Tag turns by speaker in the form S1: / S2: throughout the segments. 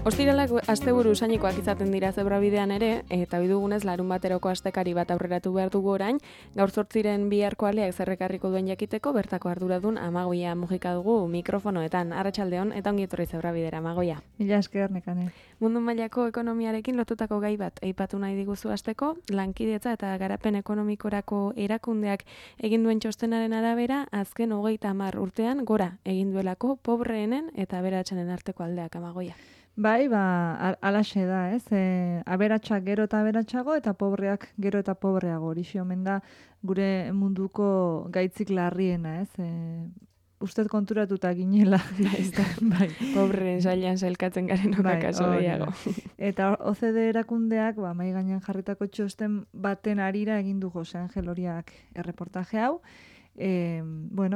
S1: Ostiralak asteburu usainikoak izaten dira zebrabidean ere, eta ohi dugunez larun bateroko astekari bat aurreratu behar dugu orain, gaur 8 biharko aleak zerrekarriko duen jakiteko bertako arduradun Amagoia mugika dugu mikrofonoetan. Arratsaldeon eta ongi etorri zebrabidera, Amagoia.
S2: Mila esker, Nekane.
S1: Mundu mailako ekonomiarekin lotutako gai bat aipatu nahi diguzu hasteko, lankidetza eta garapen ekonomikorako erakundeak egin duen txostenaren arabera, azken 30 urtean gora egin duelako pobreenen eta aberatsenen arteko aldeak, Amagoia.
S2: Bai, alaxe da, ez? Aberatsak gero eta aberatsago eta pobreak gero eta pobreago. Horixe omen da gure munduko gaitzik larriena, ez? Ustez konturatuta ginela.
S1: Bai. Pobreen sailean sailkatzen garen okaso gehiago.
S2: Eta OCDE erakundeak, mahai gainean jarritako txosten baten arira egin du Jose Angel Oriak erreportaje hau.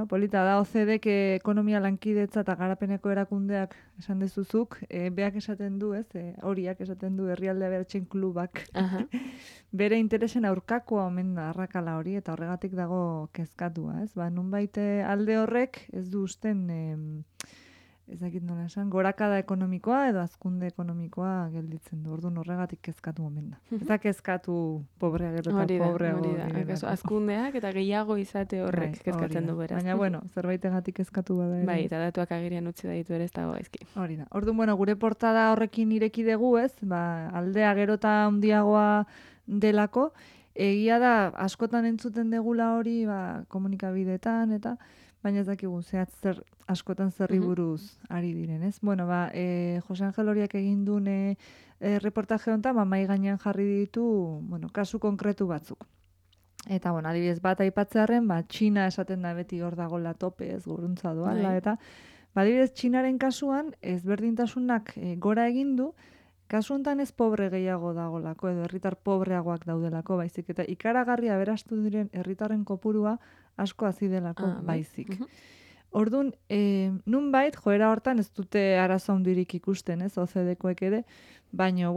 S2: Polita da OCDEk ekonomia lankidetza eta garapeneko erakundeak esan dezuzuk, beak esaten du, ez? Horiak esaten du herrialde aberatsen klubak. Bere interesen aurkakoa omen da arrakala hori eta horregatik dago kezkatua, ez? Nunbait alde horrek ez du usten ez dakit nola esan, gorakada ekonomikoa edo hazkunde ekonomikoa gelditzen du. Orduan horregatik kezkatu omen da. Eta kezkatu pobrea gero eta pobreago.
S1: Hori da. Hazkundeak eta gehiago izate horrek kezkatzen du beraz.
S2: Baina, zerbaitegatik kezkatu bada.
S1: Bai, eta datuak agerian utzi ditu ere ez dago gaizki.
S2: Hori da. Orduan, gure portada horrekin ireki dugu, ez? Aldea gero eta handiagoa delako. Egia da, askotan entzuten degula hori, komunikabideetan eta baina ez dakigu askotan zerri buruz ari diren, ez? Jose Angel Oriak egin duen reportaje honetan, mahai gainean jarri ditu, kasu konkretu batzuk. Eta, adibidez bat aipatzearren, Txina esaten da beti hor dagoela tope, ez guruntza doala, eta adibidez Txinaren kasuan ezberdintasunak gora egin du, kasu honetan ez pobre gehiago dagolako, edo herritar pobreagoak daudelako, baizik, eta ikaragarri aberastu diren herritarren kopurua asko hazi delako baizik. Orduan, nunbait, joera hortan ez dute arazo handirik ikusten, ez, OCDEkoek ere, baina,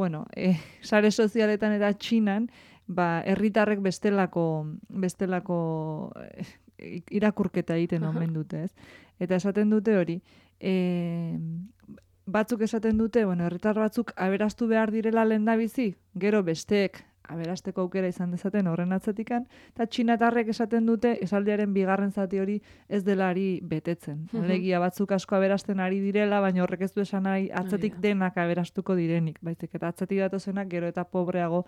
S2: sare sozialetan eta Txinan, herritarrek bestelako irakurketa egiten omen dute, ez. Eta esaten dute hori, batzuk esaten dute, herritar batzuk aberastu behar direla lehendabizi, gero besteek aberasteko aukera izan dezaten horren atzetikan, eta txinatarrek esaten dute esaldiaren bigarren zati hori ez delari betetzen. Alegia batzuk asko aberasten ari direla, baina horrek ez du esan nahi atzetik denak aberastuko direnik, baizik eta atzetik datozenak gero eta pobreago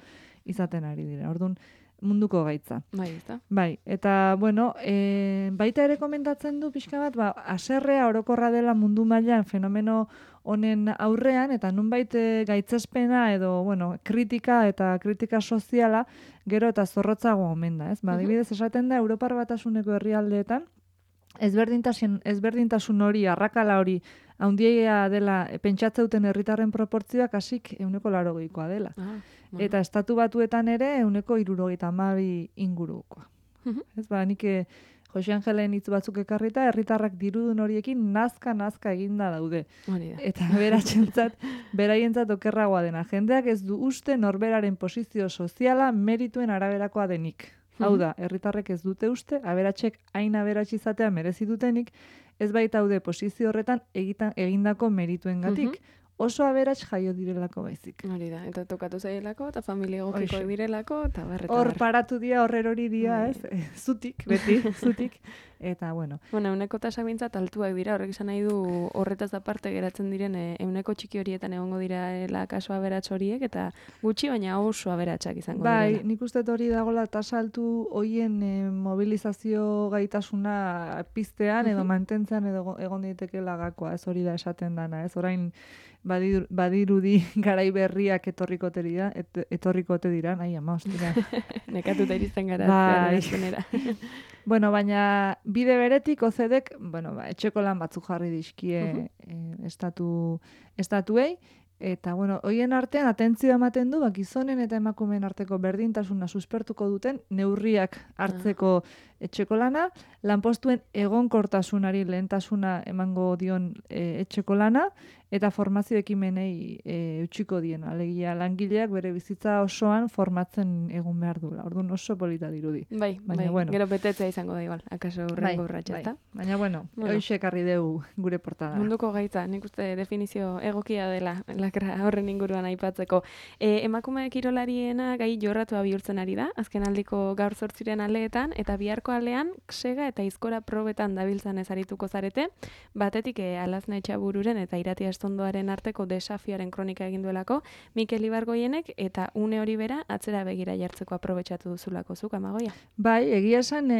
S2: izaten ari dira. Orduan, munduko gaitza. Bai, eta, baita ere komentatzen du pixka bat, haserrea orokorra dela mundu mailan fenomeno honen aurrean, eta nunbait gaitzespena edo, kritika eta kritika soziala gero eta zorrotzago omen da, ez? Adibidez esaten da, Europar Batasuneko herrialdeetan, ezberdintasun hori, arrakala hori, handia dela, pentsatzeuten herritarren proportzioak hasik 80%koa dela. Eta estatu batuetan ere 72 ingurukoa. Ez nik Jose Angelen hitz batzuk ekarrita, herritarrak dirudun horiekin nazka eginda daude. Eta beraientzat okerragoa dena. Jendeak ez du uste norberaren posizio soziala merituen araberakoa denik. Hau da, herritarrek ez dute uste, aberatsek hain aberats izatea merezi dutenik, ez baitaude posizio horretan egindako merituengatik. Oso aberats jaio direlako baizik.
S1: Hori da, eta tokatu zaielako, eta familia egokiko direlako, eta barreta.
S2: Hor paratu dia, horrerori dia, ez? Zutik, beti, zutik. Eta,
S1: Euneko tasak bintzat altuak dira, horrek izan nahi du horretaz aparte geratzen diren euneko txiki horietan egongo direla kaso aberats horiek, eta gutxi baina oso aberatsak izango direla.
S2: Bai, nik uste hori dagoela tasa altu hoien mobilizazio gaitasuna piztean edo mantentzean edo egon daitekela gakoa, ez hori da esaten dana, ez? Orain badirudi garai berriak etorrikote dira, nahi ama, ostira.
S1: Nekatuta irizten gara.
S2: Baina bide beretik OCDEk, etxeko lan batzuk jarri dizkie estatuei, eta, hoien artean atentzioa ematen du, gizonen eta emakumeen arteko berdintasuna suspertuko duten neurriak hartzeko etxeko lana, lanpostuen egonkortasunari lehentasuna emango dion etxeko lana, eta formazio ekimenei utziko dien. Alegia langileak bere bizitza osoan formatzen egun behar dula. Orduan oso polita dirudi.
S1: Bai, bueno. Gero betetzea izango da igual, akaso urrengo urratxa, ezta?
S2: Baina bueno, hoxe ekarri dugu gure portada.
S1: Munduko gaitza, nik uste definizio egokia dela lakra horren inguruan aipatzeko. Emakume kirolariena gai jorratua bihurtzen ari da, azken aldiko gaur 8 aleetan, eta biharko alean sega eta izkora probetan dabiltzan ezarituko zarete, batetik Alazne Etxabururen eta Iratia Estondoaren arteko desafioaren kronika egin duelako, Mikel Ibargoienek eta une hori bera atzera begira jartzeko aprobetxatu duzulako zuk, Amagoia.
S2: Bai, egia esan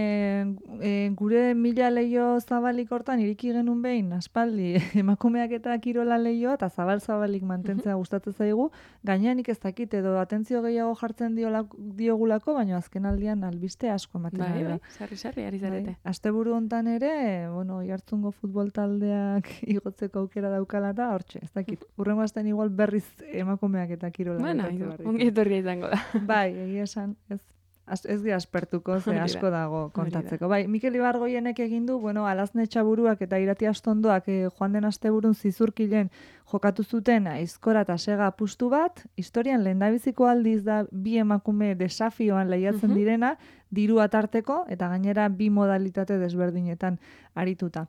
S2: gure 1000 leio zabalik hortan iriki genuen behin, aspaldi emakumeak eta kirola leioa eta zabalik mantentzea gustatzen zaigu, gainean ez dakit edo atentzio gehiago jartzen diogulako, baina azken aldian albiste asko ematen da.
S1: Bai, sarri, ari zarete.
S2: Asteburu hontan ere, Oiartzungo futbol taldeak igotzeko aukera daukala da, hortxe, ez dakit. Urrengo astean igual berriz emakumeak eta kirola.
S1: Bueno, ongi etorria izango da.
S2: Bai, egia esan, ez gira aspertuko, ze asko dago kontatzeko. Bai, Mikel Ibargoienek egin du, Alazne Etxaburuak eta Iratia Estondoak joan den asteburun zizurkilen jokatu zuten aizkora eta sega apustu bat, historian lehendabiziko aldiz da bi emakume desafioan lehiatzen direna, diru atarteko, eta gainera bi modalitate desberdinetan arituta.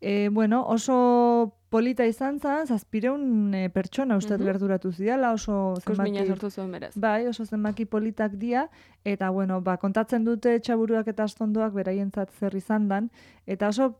S2: Oso polita izan zen, 700 pertsona uste gerturatu zidala, oso
S1: zenbaki sortu zuen beraz.
S2: Bai, oso zenbaki politak dia, eta kontatzen dute Etxaburuak eta Estondoak beraientzat zer izan dan, eta oso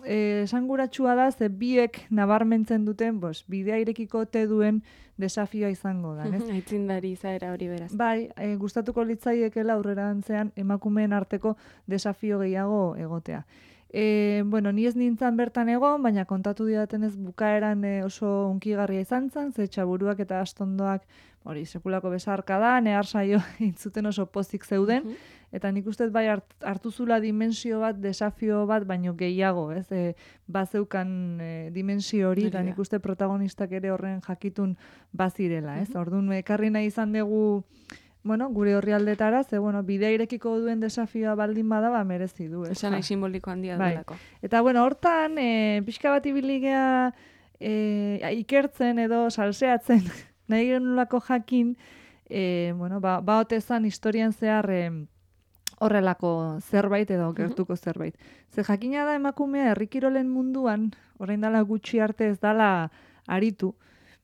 S2: esanguratsua da, ze biek nabarmentzen duten, bidea irekiko te duen desafioa izango da, ez?
S1: Aitzindari izaera hori beraz.
S2: Bai, gustatuko litzaiekela aurrerantzean emakumeen arteko desafio gehiago egotea. Ni ez nintzen bertan egon, baina kontatu didatenez bukaeran oso unkigarria izan zen, ze Etxaburuak eta Estondoak sekulako besarka da, nehar saio intzuten oso pozik zeuden, eta nik uste bai hartu zula dimensio bat, desafio bat, baino gehiago, ez? Bazeukan dimensio hori, eta nik uste protagonistak ere horren jakitun bazirela, ez? Orduan, ekarri nahi izan dugu gure orrialdetara, ze bidea irekiko duen desafioa baldin bada, merezi du.
S1: Esan nahi simboliko handia duelako.
S2: Eta hortan, pixka bat ibiligea ikertzen edo salseatzen nahi genulako jakin, otezan historian zehar horrelako zerbait edo gertuko zerbait. Ze jakina da emakumea herrikirolen munduan, orain dela gutxi arte ez dala aritu,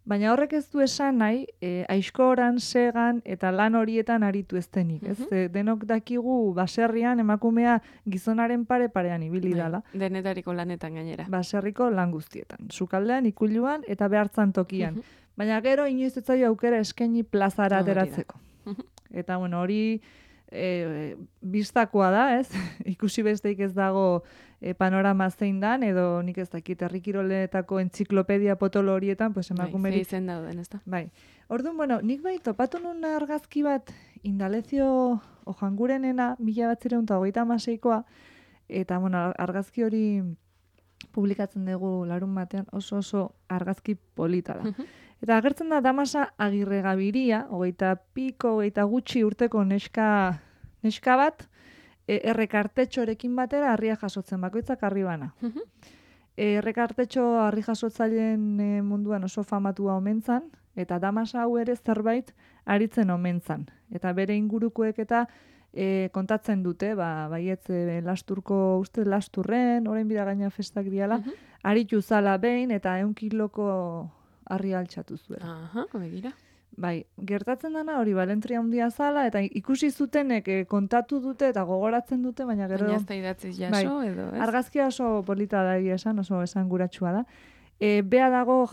S2: baina horrek ez du esan nahi, aizkoran, segan eta lan horietan aritu ez denik. Denok dakigu baserrian emakumea gizonaren parean ibili dala.
S1: Denetariko lanetan gainera.
S2: Baserriko lan guztietan. Sukaldean, ikuluan eta behartzan tokian. Baina gero inoiz ez zaio aukera eskaini plazara ateratzeko. Eta hori bistakoa da, ez? Ikusi besteik ez dago panorama zein dan, edo nik ez dakit herrikiroletako entziklopedia potolo horietan, emakumeri...
S1: Bai, zeizen dauden, ez da?
S2: Bai. Orduan, nik topatu nun argazki bat Indalezio Ojangurenena 1936koa, eta argazki hori publikatzen dugu larun batean oso argazki polita da. Eta agertzen da Damasa Agirregabiria, 20 gutxi urteko neska bat, errekartetxorekin batera harria jasotzen, bakoitzak harri bana. Errekartetxo harri jasotzaileen munduan oso famatua omen zan, eta Damasa hau ere zerbait aritzen omen zan. Eta bere ingurukoek eta kontatzen dute, baietz lasturko, uste lasturren, orain bida gaina festak diala, aritu zala behin eta 100 kiloko harri altxatu zuen.
S1: Begira.
S2: Bai, gertatzen dana hori balentria handia zala, eta ikusi zutenek kontatu dute eta gogoratzen dute, baina gero...
S1: Baina ez da idatziz jaso, edo, ez?
S2: Argazkia oso polita da esan, oso esanguratsua da. Bea dago,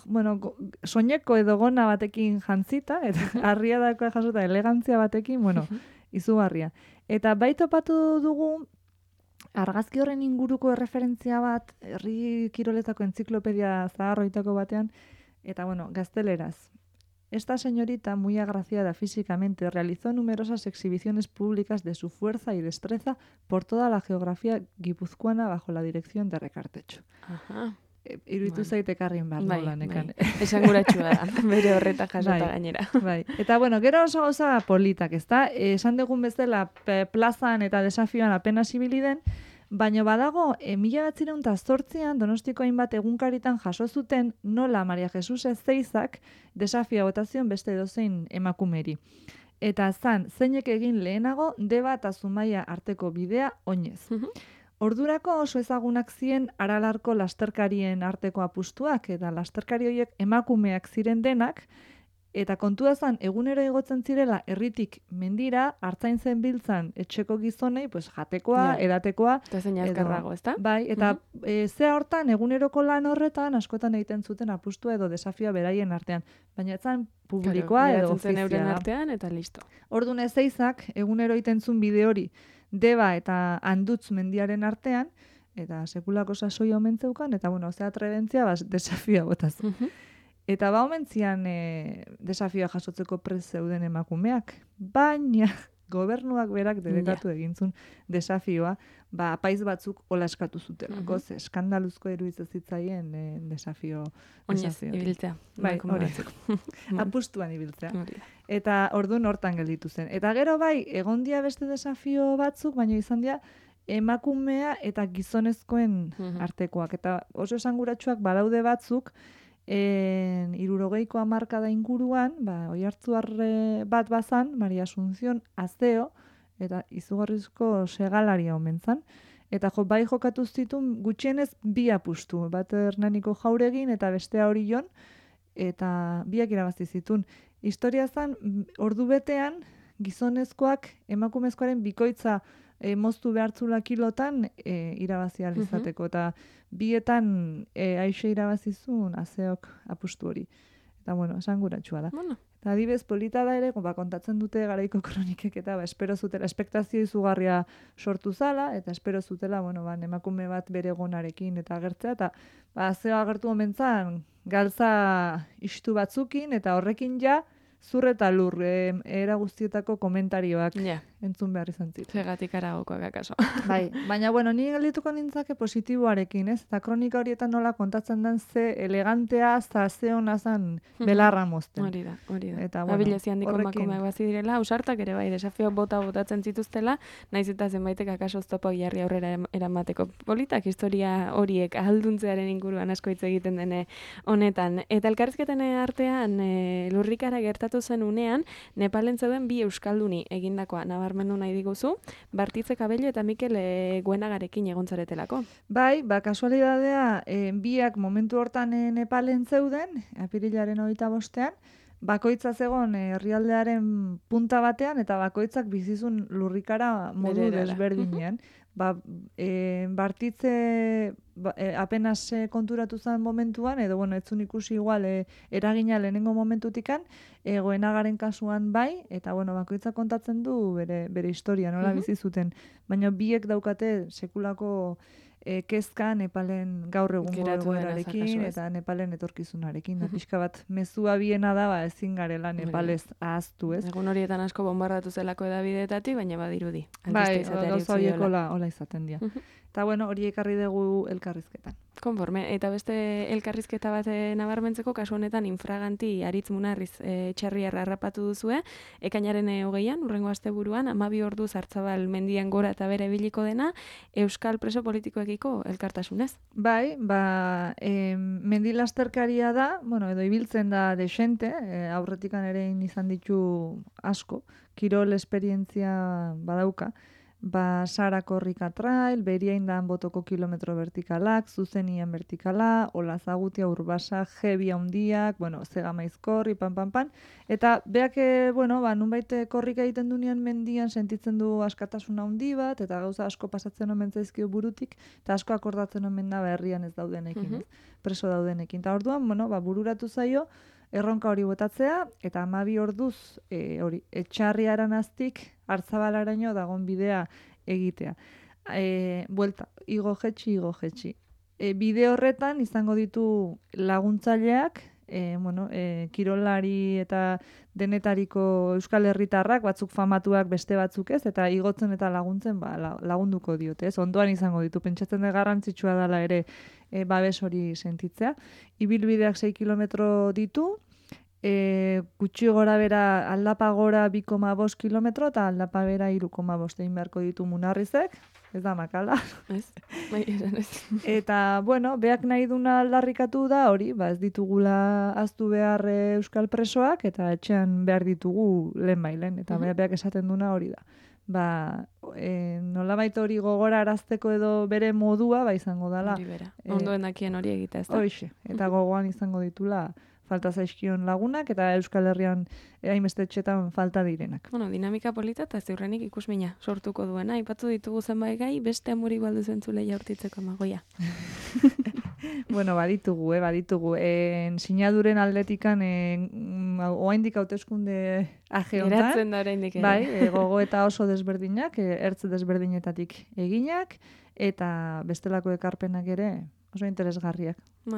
S2: soineko edo gona batekin jantzita, eta harria dagoa jasota elegantzia batekin, izugarria. Eta bai topatu dugu, argazki horren inguruko referentzia bat, herri kiroletako entziklopedia zaharroitako batean, eta gazteleraz. Esta señorita, muy agraciada físicamente, realizó numerosas exhibiciones públicas de su fuerza y destreza por toda la geografía guipuzcoana bajo la dirección de Rekartetxo. iruditu zait ekarrin behar nola nekan.
S1: Esanguratsua da, bere horreta jasota gainera.
S2: Bai. Eta bueno, gero oso gauza politak, ezta? Esan dugun bezala plazan eta desafioan apenas ibili den, baina badago, 1908an Donostiko hainbat egunkaritan jaso zuten nola Maria Jesus Ezeizak desafioa botazion beste edozein emakumeri. Eta zeinek egin lehenago Deba eta Zumaia arteko bidea oinez. Ordurako oso ezagunak ziren Aralarko lasterkarien arteko apustuak, eta lasterkari horiek emakumeak ziren denak, eta kontua zen, egunero igotzen zirela herritik mendira, hartzaintzen biltzan etxeko gizonei, pues, jatekoa, edatekoa.
S1: Eta zein azkarrago, ezta?
S2: Bai, eta zea hortan, eguneroko lan horretan, askotan egiten zuten apustua edo desafioa beraien artean. Baina etzan publikoa edo ofiziala.
S1: Euren artean eta listo.
S2: Orduan Ezeizak, egunero egiten zuen bide hori, Deba eta Andutz mendiaren artean, eta sekulako sasoi omen zeukan, eta bueno, zea trebentzia, desafioa botaz. Eta omentzian desafioa jasotzeko prest zeuden emakumeak, baina gobernuak berak debekatu egintzun desafioa, apaiz batzuk hola eskatu zutelako, ze eskandaluzko iruditzen zitzaien desafio.
S1: Oinez, ibiltzea.
S2: Bai, hori. Apustuan ibiltzea. Eta orduan hortan gelditu zen. Eta gero bai, egondia beste desafio batzuk, baina izan dira emakumea eta gizonezkoen artekoak. Eta oso esanguratsuak badaude batzuk, 60ko hamarkada inguruan, Oiartzuar bat bazan, Maria Asunción Azeo, eta izugarrizko segalaria omen zan. Eta bai jokatu zituen gutxienez bi apustu, bat Hernaniko Jauregin eta bestea Orion, eta biak irabazi zituen. Historia zan, ordu betean, gizonezkoak emakumezkoaren bikoitza moztu behartzula kilotan irabazi alizateko. Eta bietan aixe irabazizun Azeok apustu hori. Eta bueno, esanguratsua da. Eta adibez, polita da ere, kontatzen dute garaiko kronikek eta espero zutela, espektazio izugarria sortu zala, eta espero zutela, emakume bat bere gonarekin eta agertzea, eta Azeo agertu omentzan galtza istu batzukin, eta horrekin ja, zur eta lur, era guztietako komentarioak entzun behar izan ziren.
S1: Zegatik aragokoak akaso.
S2: Bai, baina, ni geldituko nintzake positiboarekin, ez? Eta kronika horietan nola kontatzen den ze elegantea, ze hona zan belarra mozten.
S1: Hori da.
S2: Eta,
S1: Abilezi handiko emakumeak bazi direla, ausartak ere bai, desafio botatzen zituztela, naiz eta zenbaitek akaso oztopo jarri aurrera eramateko. Politak historia horiek ahalduntzearen inguruan asko hitz egiten dene honetan. Eta elkarrizketen artean lurrikara gertatu zen unean, Nepalen zeuden bi euskalduni egindakoa nabarmendu nahi diguzu, Bartitze Kabello eta Mikel Guenagarekin egon zaretelako.
S2: Bai, kasualidadea, biak momentu hortan Nepalen zeuden, apirilaren 25ean, bakoitza zegon herrialdearen punta batean, eta bakoitzak bizizun lurrikara modu desberdinean. Bartitze apenas konturatu zen momentuan, edo etzun ikusi igual eragina lehenengo momentutikan, Goenagaren kasuan bai, eta bakoitza kontatzen du bere historia, nola bizi zuten. Baina biek daukate sekulako kezka Nepalen gaur egungo egoerarekin eta Nepalen etorkizunarekin. Pixka bat mezua biena da, ezin garela Nepalez ahaztu, ez?
S1: Egun horietan asko bombardatu zelako edabideetatik, baina badirudi.
S2: Bai, gauza horiek hola izaten dira. Eta hori ekarri dugu elkarrizketan.
S1: Konforme, eta beste elkarrizketa bat nabarmentzeko, kasu honetan infraganti Aritz Munarriz txarriarra harrapatu duzue, ekainaren 20an, urrengo asteburuan, 12 ordu Zartzabal mendian gora eta bere biliko dena, Euskal preso politikoekiko elkartasunez. Bai,
S2: mendilasterkaria da, edo ibiltzen da desente, aurretikan ere izan ditu asko, kirol esperientzia badauka, Sara Korrika Trail, Beriaindan Botoko kilometro vertikalak, Zuzenian vertikala, Olazagutia Urbasa, Jebia hundiak, Zegamaiz korri, pan. Eta beak, nunbait korrika egiten dunean mendian sentitzen du askatasuna handi bat, eta gauza asko pasatzen omen zaizkio burutik, eta asko akordatzen omen da herrian ez daudenekin, preso daudenekin. Eta orduan, bururatu zaio, erronka hori botatzea, eta 12 orduz Etxarriaran aztik Hartzabalaraino dagon bidea egitea. Buelta, igo jetxi. Bide horretan izango ditu laguntzaileak, kirolari eta denetariko euskal herritarrak, batzuk famatuak beste batzuk ez, eta igotzen eta laguntzen lagunduko diote, ez? Ondoan izango ditu, pentsatzen da garrantzitsua dela ere babes hori sentitzea. Ibilbideak 6 kilometro ditu, gutxi gora bera aldapa gora 2,5 kilometro eta aldapa bera 3,5 egin beharko ditu Munarrizek, ez da makala.
S1: Ez, ez.
S2: Eta, beak nahi duna aldarrikatu da hori, ez ditugula aztu behar euskal presoak eta etxean behar ditugu lehen, eta beak esaten duna hori da. Nolabait hori gogora arazteko edo bere modua, izango dala.
S1: Hori bera, ondoen dakien hori egita, ez da?
S2: Hoxe, eta gogoan izango ditula falta zaizkion lagunak, eta Euskal Herrian hainbeste etxetan falta direnak.
S1: Dinamika polita eta ziurrenik ikusmina sortuko duena. Aipatu ditugu zenbait gai, beste amuri baldu zentzule jaurtitzeko Amagoia.
S2: Baditugu. Sinaduren aldetikan, oaindik hauteskunde aje honetan.
S1: Geratzen da oraindik ere.
S2: Bai, gogo eta oso desberdinak, ertz desberdinetatik eginak, eta bestelako ekarpenak ere oso interesgarriak.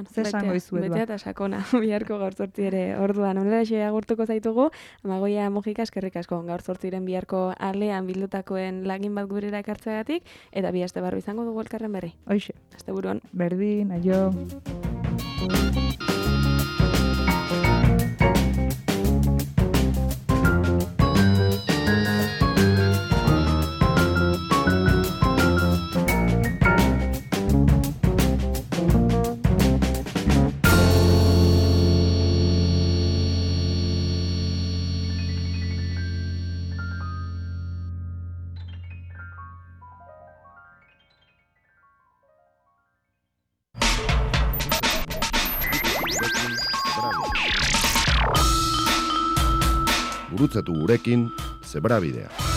S2: Zer esango izuet
S1: Betea eta sakona, biharko gaur zortzi ere orduan. Honela agurtuko zaitugu, Amagoia Mujika eskerrik asko gaur zortziren biharko alean bildutakoen lagin bat gurera ekartzeagatik, eta bi aste barru izango dugu elkarren berri.
S2: Hoxe.
S1: Asteburuan.
S2: Berdin, aio.
S3: Gurutzatu gurekin Zebrabidea.